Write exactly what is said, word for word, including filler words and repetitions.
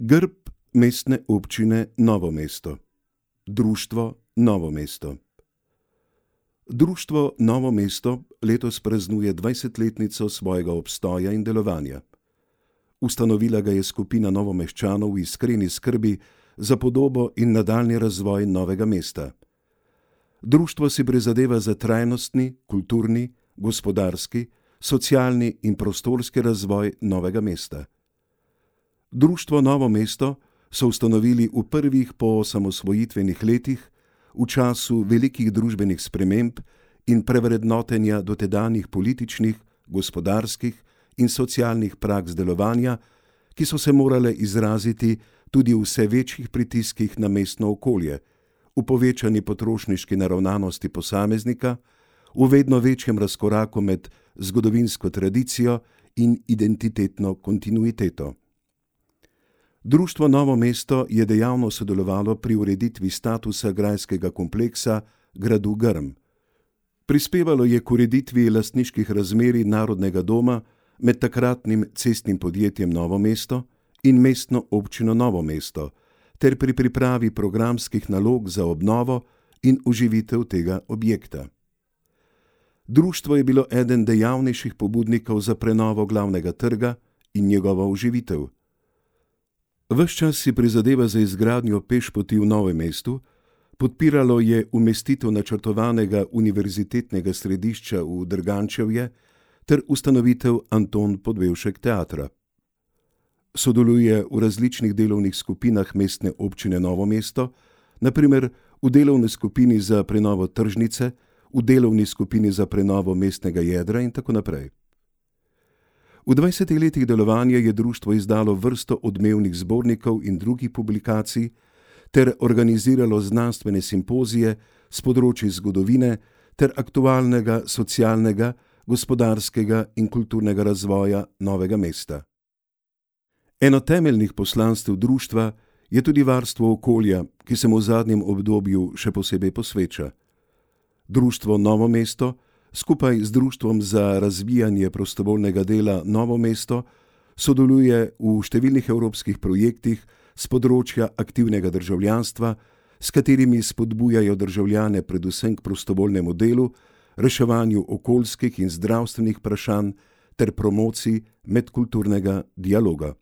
Grb Mestne občine Novo mesto. Društvo Novo mesto. Društvo Novo mesto letos praznuje dvajsetletnico svojega obstoja in delovanja. Ustanovila ga je skupina Novomeščanov v iskreni skrbi za podobo in nadaljnji razvoj novega mesta. Društvo si prizadeva za trajnostni, kulturni, gospodarski, socialni in prostorski razvoj novega mesta. Društvo Novo mesto so ustanovili v prvih poosamosvojitvenih letih, v času velikih družbenih sprememb in prevrednotenja dotedanjih političnih, gospodarskih in socialnih praks delovanja, ki so se morale izraziti tudi v vse večjih pritiskih na mestno okolje, v povečani potrošniški naravnanosti posameznika, v vedno večjem razkoraku med zgodovinsko tradicijo in identitetno kontinuiteto. Društvo Novo mesto je dejavno sodelovalo pri ureditvi statusa grajskega kompleksa gradu Grm. Prispevalo je k ureditvi lastniških razmerij Narodnega doma med takratnim cestnim podjetjem Novo mesto in mestno občino Novo mesto ter pri pripravi programskih nalog za obnovo in oživitev tega objekta. Društvo je bilo eden dejavnejših pobudnikov za prenovo glavnega trga in njegovo oživitev. Ves čas si prizadeva za izgradnjo pešpoti v Novem mestu, podpiralo je umestitev načrtovanega univerzitetnega središča v Drgančevje ter ustanovitev Anton Podbevšek teatra. Sodeluje v različnih delovnih skupinah Mestne občine Novo mesto, na primer v delovni skupini za prenovo tržnice, v delovni skupini za prenovo mestnega jedra in tako naprej. V dvajsetih letih delovanja je društvo izdalo vrsto odmevnih zbornikov in drugih publikacij ter organiziralo znanstvene simpozije s področji zgodovine ter aktualnega socialnega, gospodarskega in kulturnega razvoja novega mesta. Eno temeljnih poslanstev društva je tudi varstvo okolja, ki se mu v zadnjem obdobju še posebej posveča. Društvo Novo mesto skupaj z Društvom za razvijanje prostovoljnega dela Novo mesto sodeluje v številnih evropskih projektih s področja aktivnega državljanstva, s katerimi spodbujajo državljane predvsem k prostovoljnemu delu, reševanju okoljskih in zdravstvenih vprašanj ter promociji medkulturnega dialoga.